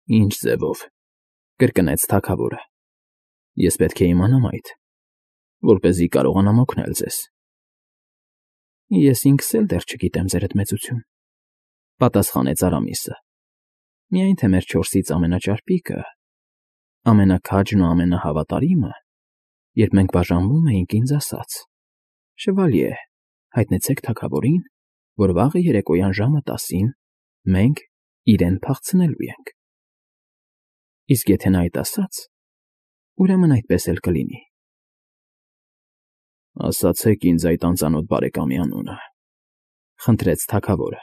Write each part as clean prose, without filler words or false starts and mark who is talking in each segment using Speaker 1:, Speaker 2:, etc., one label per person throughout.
Speaker 1: Ինչ ձևով,֊ կրկնեց թագավորը։ Ես պետք է իմանամ այդ, որպեսզի կարողանամ օգնել ձեզ։ Ես ինքս էլ դեռ չգիտեմ, ձերդ մեծություն,֊ պատասխանեց Արամիսը։ Միայն թե մեր չորսից ամենաճարպիկը, ամենաքաջն ու ամենահավատարիմը, երբ մենք բաժանվում էինք, ինձ ասաց. «Շվալյե, հայտնեցեք թագավորին, որ վաղը երեկոյան ժամը 10-ին մենք իրեն փախցնելու ենք»։ Իսկ եթե նա այդ ասաց, ուրեմն այդպես էլ կլինի։ Ասացեք ինձ այդ անծանոթ բարեկամի անունը,֊ խնդրեց թագավորը,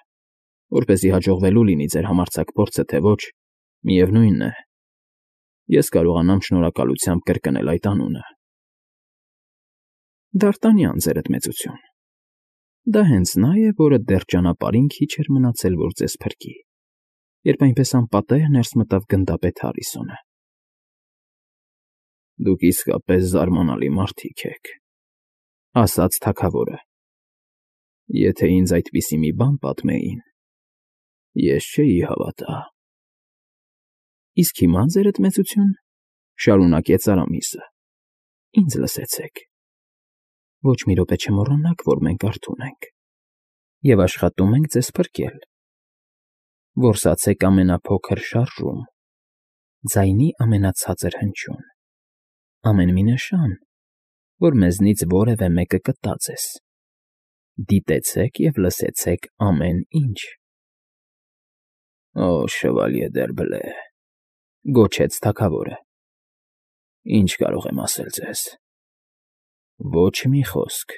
Speaker 1: որպեսզի հաջողվելու լինի ձեր համարձակ փորձը, թե ոչ, միևնույնն է, ես կարողանամ շնորհակալությամբ կրկնել այդ անունը։ Դ'Արտանյան, ձերդ մեծություն։ Դա հենց նա է, որը դեռ ճանապարհին քիչ էր մնացել, որ ձեզ փրկի, երբ այնպես անպատեհ ներս մտավ գնդապետ Հարիսոնը։ Դուք իսկապես զարմանալի մարդիկ եք,֊ ասաց թագավորը։ Եթե ինձ այդպիսի մի բան պատմեին, ես չէի հավատա։ Իսկ հիմա, ձերդ մեծություն, շարունակեց Արամիսը, ինձ լսեցեք։ Ոչ մի րոպե չմոռանաք, որ մենք արթուն ենք և աշխատում ենք ձեզ փրկել։ Որսացեք ամենափոքր շարժում, ձայնի ամենացածր հնչյուն, ամեն մի նշան, որ մեզնից որևէ մեկը կտա ձեզ։ Դիտեցեք և լսեցեք ամեն ինչ։ Օ, շվալյե Դ'Երբլե,֊ գոչեց թագավորը, ինչ կարող եմ ասել ձեզ։ Ոչ մի խոսք,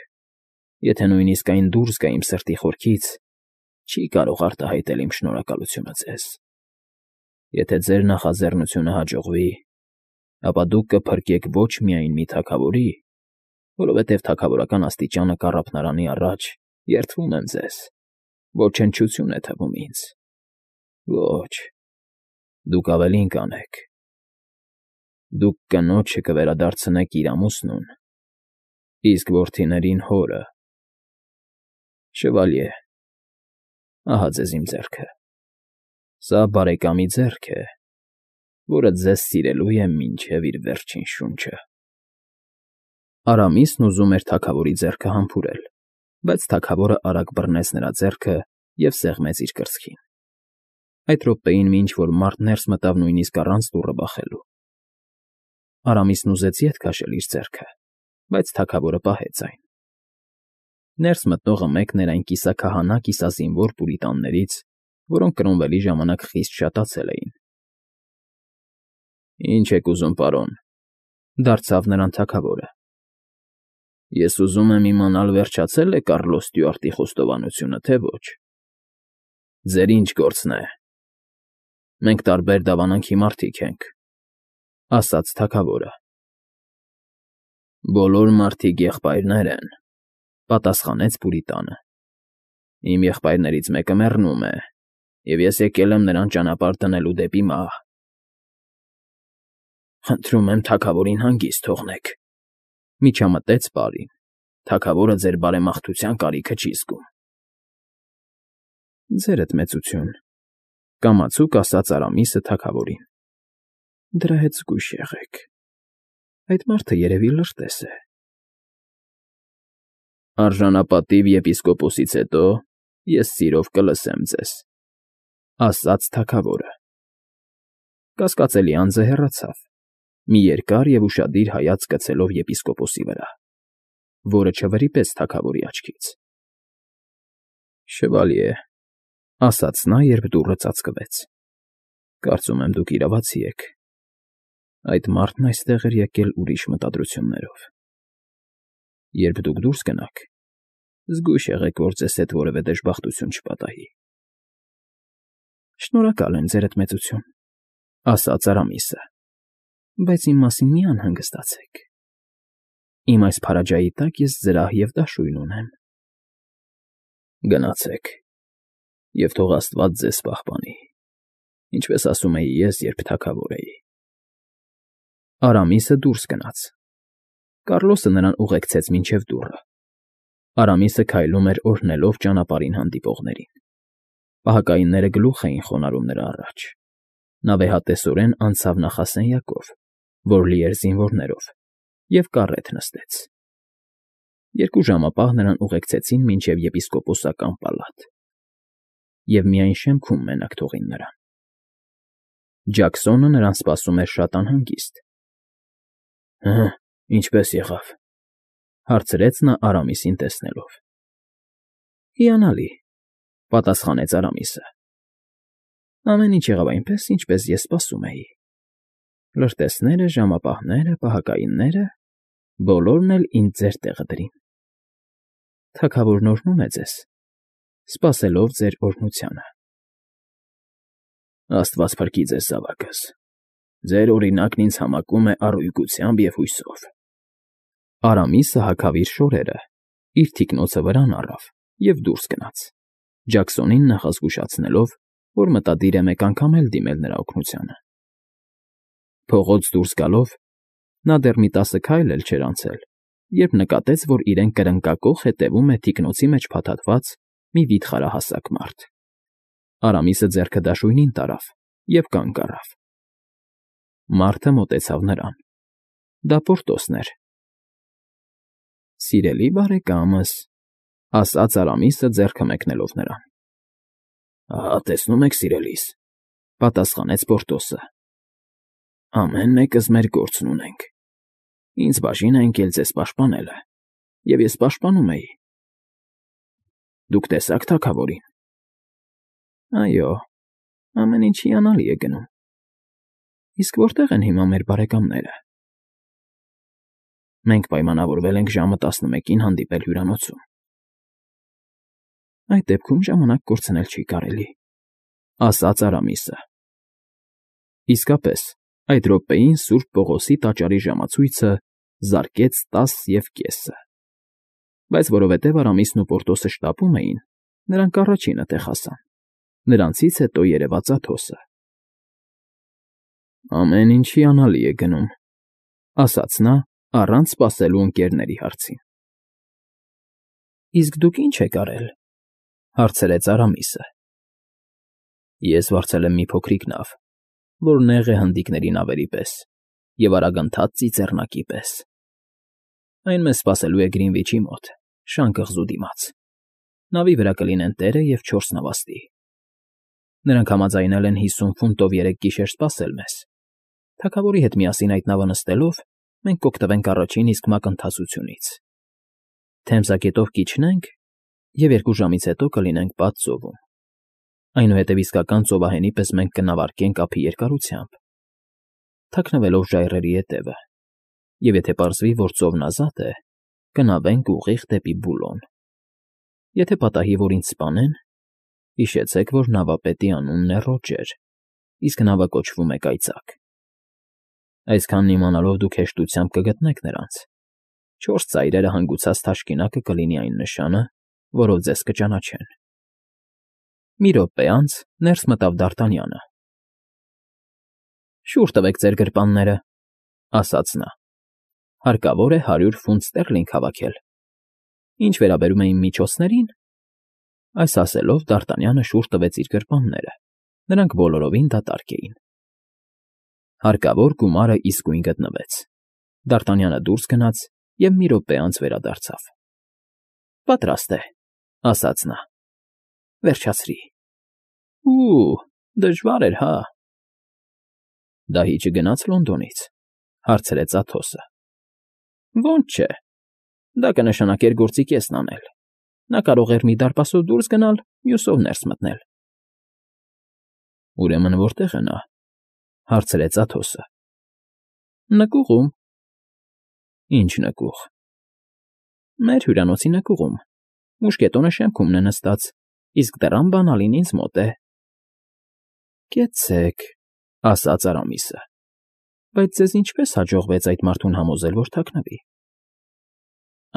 Speaker 1: եթե նույնիսկ այն դուրս գա իմ սրտի խորքից, չի կարող արտահայտել իմ շնորհակալությունը ձեզ։ Եթե ձեր նախաձեռնությունը հաջողվի, ապա դուք կփրկեք ոչ միայն մի թագավորի, որովհետև թագավորական աստիճանը կառափնարանի առաջ, երդվում եմ ձեզ, ոչնչություն է թվում ինձ։ Ոչ, դուք ավելին կանեք. դուք կնոջը կվերադարձնեք իր ամուսնուն, իսկ որդիներին՝ հորը։ Շվալյե, ահա ձեզ իմ ձեռքը։ Սա բարեկամի ձեռք է, որը ձեզ սիրելու է մինչև իր վերջին շունչը։ Արամիսն ուզում էր թագավորի ձեռքը համբուրել, բայց թագավորը արագ բռնեց նրա ձեռքը և սեղմեց իր կրծքին։ Այդ րոպեին մի ինչ֊որ մարդ ներս մտավ նույնիսկ առանց դուռը բախելու։ Արամիսն ուզեց ետ քաշել իր ձեռքը, բայց թագավորը պահեց այն։ Ներս մտնողը մեկն էր այն կիսաքահանա֊կիսազինվոր պուրիտաններից, որոնք Կրոմվելի ժամանակ խիստ շատացել էին։ Ինչ եք ուզում, պարոն,֊ դարձավ նրան թագավորը։ Ես ուզում եմ իմանալ, վերջացե՞լ է Կառլոս Ստյուարտի խոստովանությունը, թե ոչ։ Ձեր ինչ գործն է։ Մենք տարբեր դավանանքի մարդիկ ենք,֊ ասաց թագավորը։ Բոլոր մարդիկ եղբայրներ են,֊ պատասխանեց պուրիտանը։ Իմ եղբայրներից մեկը մեռնում է, և ես եկել եմ նրան ճանապարհ դնելու դեպի մահ։ Խնդրում եմ թագավորին հանգիստ թողնեք,֊ միջամտեց պարին։ Թագավորը ձեր բարեմաղթության կարիքը չի զգում։ Ձերդ մեծություն,֊ կամացուկ ասաց Արամիսը թագավորին։ Դրա հետ զգույշ եղեք։ Այդ մարդը երևի լրտես է։ Արժանապատիվ եպիսկոպոսից հետո ես սիրով կլսեմ ձեզ,֊ ասաց թագավորը։ Կասկածելի անձը հեռացավ, մի երկար և ուշադիր հայացք գցելով եպիսկոպոսի վրա, որը չվրիպեց թագավորի աչքից։ Շվալյե,֊ ասաց նա, երբ դուռը ծածկվեց,֊ կարծում եմ, դուք իրավացի եք։ Այդ մարդն այստեղ էր եկել ուրիշ մտադրություններով։ Երբ դուք դուրս գնաք, զգույշ եղեք, որ ձեզ հետ որևէ դժբախտություն չպատահի։ Շնորհակալ եմ, ձերդ մեծություն,֊ ասաց Արամիսը, բայց իմ մասին մի անհանգստացեք։ Իմ այս փարաջայի տակ ես զրահ և դաշույն ունեմ։ Գնացեք, և թող աստված ձեզ պահպանի, ինչպես ասում էի ես, երբ թագավոր էի։ Արամիսը դուրս գնաց։ Կառլոսը նրան ուղեկցեց մինչև դուռը։ Արամիսը քայլում էր օրհնելով ճանապարհին հանդիպողներին։ Պահակայինները գլուխ էին խոնարհում նրա առաջ։ Նա վեհատեսորեն անցավ նախասենյակով, որ լի էր զինվորներով, և կառետ նստեց։ 2 ժամապահ նրան ուղեկցեցին մինչև եպիսկոպոսական պալատ, և միայն շեմքում մենակ թողին նրան։ Ջաքսոնը նրան սպասում էր շատ անհանգիստ։ ֊ Ինչպե՞ս եղավ,֊ հարցրեց նա Արամիսին տեսնելով։ ֊ Հիանալի,֊ պատասխանեց Արամիսը։ Ամեն ինչ եղավ այնպես, ինչպես ես սպասում էի. լրտեսները, ժամապահները, պահակայինները բոլորն էլ ինձ ձեր տեղը դրին։ Թագավորն օրհնում է ձեզ, սպասելով ձեր օրհնությանը։ Աստված փրկի ձեզ զավակս, ձեր օրինակն ինձ համակում է առույգությամբ և հույսով։ Արամիսը հագավ իր շորերը, իր թիկնոցը վրան առավ և դուրս գնաց, Ջաքսոնին նախազգուշացնելով, որ մտադիր է մեկ անգամ էլ դիմել նրա օգնությանը։ Փողոց դուրս գալով՝ նա դեռ մի 10 քայլ էլ չէր անցել, երբ նկատեց, որ իրեն կրնկակոխ հետևում է թիկնոցի մեջ փաթաթված մի վիթխարահասակ մարդ։ Արամիսը ձեռքը դաշույնին տարավ և կանգ առավ։ Մարդը մոտեցավ նրան։ Դա Պորտոսն էր։ Սիրելի բարեկամս, ասաց Արամիսը ձեռքը մեկնելով նրան։ Ահա տեսնում եք, սիրելիս, պատասխանեց Պորտոսը։ Ամեն մեկս մեր գործն ունենք։ Ինձ բաժին է ընկել ձեզ պաշտպանելը, և ես պաշտպանում էի։ Դուք տեսա՞ք թագավորին։ Այո, ամեն ինչ հիանալի է գնում։ Իսկ որտե՞ղ են հիմա մեր բարեկամները։ Մենք պայմանավորվել ենք ժամը 11-ին հանդիպել հյուրանոցում։ Այդ դեպքում ժամանակ կորցնել չի կարելի, ասաց Արամիսը։ Իսկապես, այդ րոպեին Սուրբ Պողոսի տաճարի ժամացույցը զարկեց 10:30։ Բայց որովհետև Արամիսն ու Պորտոսը շտապում էին, նրանք առաջինը տեղ հասան, նրանցից հետո երևաց Աթոսը։ Ամեն ինչ հիանալի է գնում, ասաց նա, առանց սպասելու ընկերների հարցին։ Իսկ դուք ի՞նչ եք արել, հարցրեց Արամիսը։ Ես վարձել եմ մի փոքրիկ նավ, որ նեղ է հնդիկների նավերի պես և արագընթաց ծիծեռնակի պես։ Այն մեզ սպասելու է Գրինվիչի մոտ, շան կղզու դիմաց։ Նավի վրա կլինեն տերը և 4 նավաստի։ Նրանք համաձայնել են 50 ֆունտով 3 գիշեր սպասել մեզ։ Թագավորի հետ միասին այդ նավը նստելով՝ մենք կօգտվենք առաջին իսկ մակընթացությունից։ Թեմզագետով կիջնենք և 2 ժամից հետո կլինենք Պատ ծովում։ Այնուհետև իսկական ծովահենի պես մենք կնավարկենք ափի երկարությամբ, թաքնվելով ժայռերի ետևը, և եթե պարզվի, որ ծովն ազատ է, կնավենք ուղիղ դեպի Բուլոն։ Եթե պատահի, որ ինձ սպանեն, հիշեցեք, որ նավապետի անունն է Ռոջեր, իսկ նավը կոչվում է Կայծակ։ Այսքանն իմանալով դուք հեշտությամբ կգտնեք նրանց։ 4 ծայրերը հանգուցած թաշկինակը կլինի այն նշանը, որով ձեզ կճանաչեն։ Մի րոպե անց ներս մտավ Դ'Արտանյանը։ Շուռ տվեք ձեր գրպանները, ասաց նա։ Հարկավոր է 100 ֆունտ ստերլինգ հավաքել։ Ինչ վերաբերում է իմ միջոցներին, այս ասելով Դ'Արտանյանը շուռ տվեց իր գրպանները, նրանք բոլորովին դատարկ էին։ Հարկավոր գումարը իսկույն գտնվեց։ Դ'Արտանյանը դուրս գնաց և մի րոպե անց վերադարձավ։ Պատրաստ է, ասաց նա։ Վերջացրի։ Դժվար էր, հա։ Դահիճը գնաց Լոնդոնից, հարցրեց Աթոսը։ Ոնց չէ։ Դա կնշանակեր գործի կեսն անել։ Նա կարող էր մի դարպասով դուրս գնալ, մյուսով ներս մտնել։ Ուրեմն որտե՞ղ է նա, հարցրեց Աթոսը։ Նկուղում։ Ինչ նկուղ։ Մեր հյուրանոցի նկուղում։ Մուշկետոնը շեմքումն է նստած, իսկ դռան բանալին ինձ մոտ է։ Կեցցեք, ասաց Արամիսը։ Բայց ձեզ ինչպես հաջողվեց այդ մարդուն համոզել, որ թաքնվի։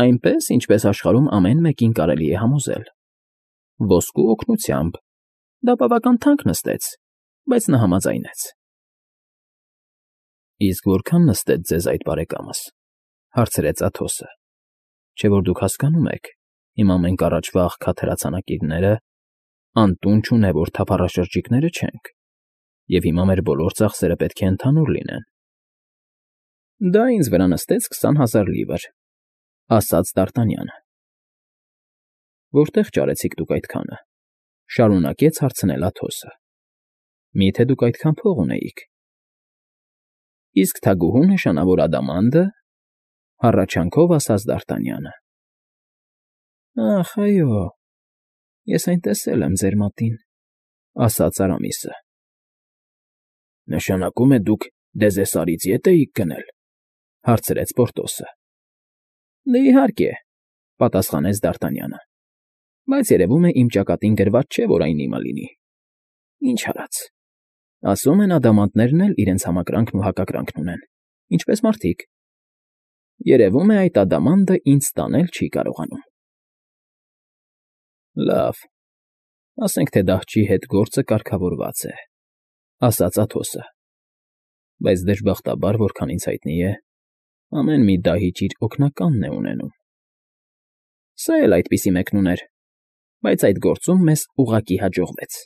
Speaker 1: Այնպես, ինչպես աշխարհում ամեն մեկին կարելի է համոզել։ Ոսկու օգնությամբ։ Դա բավական թանկ նստեց, բայց նա համաձայնեց։ Իսկ որքան նստեց ձեզ այդ բարեկամս, հարցրեց Աթոսը։ Չէ՞ որ դուք հասկանում եք, հիմա մենք առաջվա աղքատ հրացանակիրները անտուն չունևոր թափառաշրջիկները չենք, և հիմա մեր բոլոր ծախսերը պետք է ընդհանուր լինեն։ Դա ինձ վրա նստեց 20,000 լիվր, ասաց Դ'Արտանյանը։ Որտե՞ղ ճարեցիք դուք այդքանը, շարունակեց հարցնել Աթոսը։ Մի՞թե դուք այդքան փող ունեիք։ Իսկ թագուհու նշանավոր ադամանդը, հառաչանքով ասաց Դ'Արտանյանը։ Ախ, այո, ես այն տեսել եմ ձեր մատին, ասաց Արամիսը։ Նշանակում է դուք Դեզեսարից ետ էիք գնել, հարցրեց Պորտոսը։ Դե իհարկե, պատասխանեց Դ'Արտանյանը, բայց երևում է իմ ճակատին գրված չէ, որ այն իմը լինի։ Ինչ արած։ Ասում են ադամանդներն էլ իրենց համակրանքն ու հակակրանքն ունեն, ինչպես մարդիկ։ Երևում է այդ ադամանդը ինձ տանել չի կարողանում։ Լավ, ասենք թե դահչի հետ գործը կարգավորված է, ասաց Աթոսը, բայց դժբախտաբար, որքան ինձ հայտնի է, ամեն մի դահիճ իր օգնականն է ունենում։ Սա էլ այդպիսի մեկն ուներ, բայց այդ գործում մեզ ուղղակի հաջողվեց։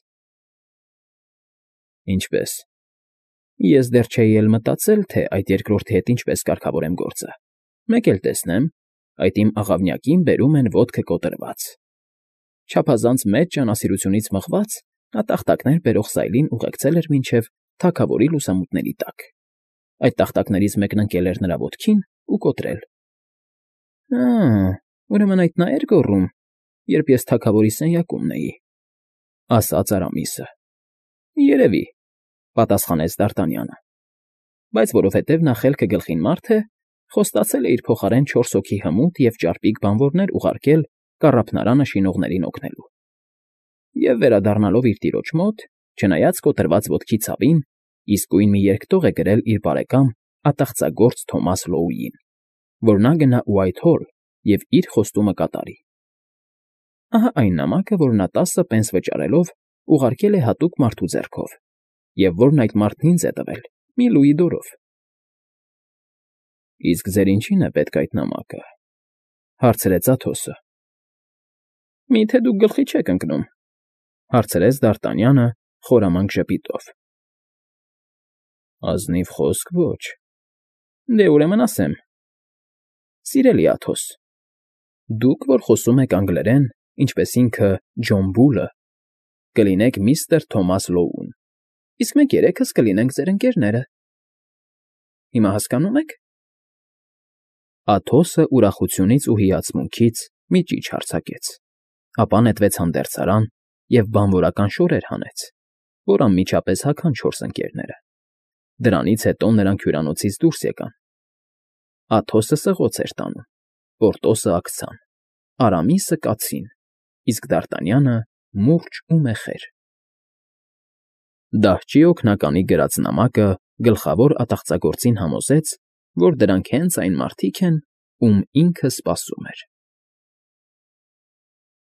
Speaker 1: Ինչպե՞ս։ Ես դեռ չէի էլ մտածել, թե այդ երկրորդի հետ ինչպես կարգավորեմ գործը։ Մեկ էլ տեսնեմ, այդ իմ աղավնյակին բերում են ոտքը կոտրված։ Չափազանց մեծ ջանասիրությունից մղված, նա տախտակներ բերող սայլին ուղեկցել էր մինչև թագավորի լուսամուտների տակ։ Այդ տախտակներից մեկն ընկել էր նրա ոտքին ու կոտրել։ Ուրեմն այդ նա էր գոռում, երբ ես թագավորի սենյակումն էի, ասաց Արամիսը։ Երևի, պատասխանեց Դ'Արտանյանը, բայց որովհետև նա խելքը գլխին մարդ է, խոստացել է իր փոխարեն 4 հոգի հմուտ և ճարպիկ բանվորներ ուղարկել կառափնարանը շինողներին օգնելու։ Եվ վերադառնալով իր տիրոջ մոտ, չնայած կոտրված ոտքի ցավին, իսկույն մի երկտող է գրել իր բարեկամ ատաղծագործ Թոմաս Լոուին, որ նա գնա Ուայթհոլ և իր խոստումը կատարի։ Ահա այն նամակը, որ նա 10 պենս վճարելով ուղարկել է հատուկ մարդու ձեռքով, և որն այդ մարդն ինձ է տվել, մի լուի դորով։ Իսկ ձեր ինչի՞ն է պետք այդ նամակը, հարցրեց Աթոսը։ Մի՞թե դուք գլխի չեք ընկնում, հարցրեց Դ'Արտանյանը խորամանկ ժպիտով։ Ազնիվ խոսք ոչ։ Դե ուրեմն ասեմ. Սիրելի Աթոս, դուք, որ խոսում եք անգլերեն, ինչպես ինքը Ջոն Բուլը, կլինեք միստր Թոմաս Լոուն, իսկ մենք երեքս կլինենք ձեր ընկերները։ Հիմա հասկանո՞ւմ եք։ Աթոսը ուրախությունից ու հիացմունքից մի ճիչ հարձակեց, ապա նետվեց հանդերձարան և բանվորական շորեր հանեց, որ անմիջապես հագան 4 ընկերները։ Դրանից հետո նրանք հյուրանոցից դուրս եկան։ Աթոսը սղոց էր տանում, Պորտոսը աքցան, Արամիսը կացին, իսկ Դ'Արտանյանը մուրճ ու մեխեր։ Դահչի օգնականի գրած նամակը գլխավոր ատաղծագործին համոզեց, որ դրանք հենց այն մարդիկ են, ում ինքը սպասում էր։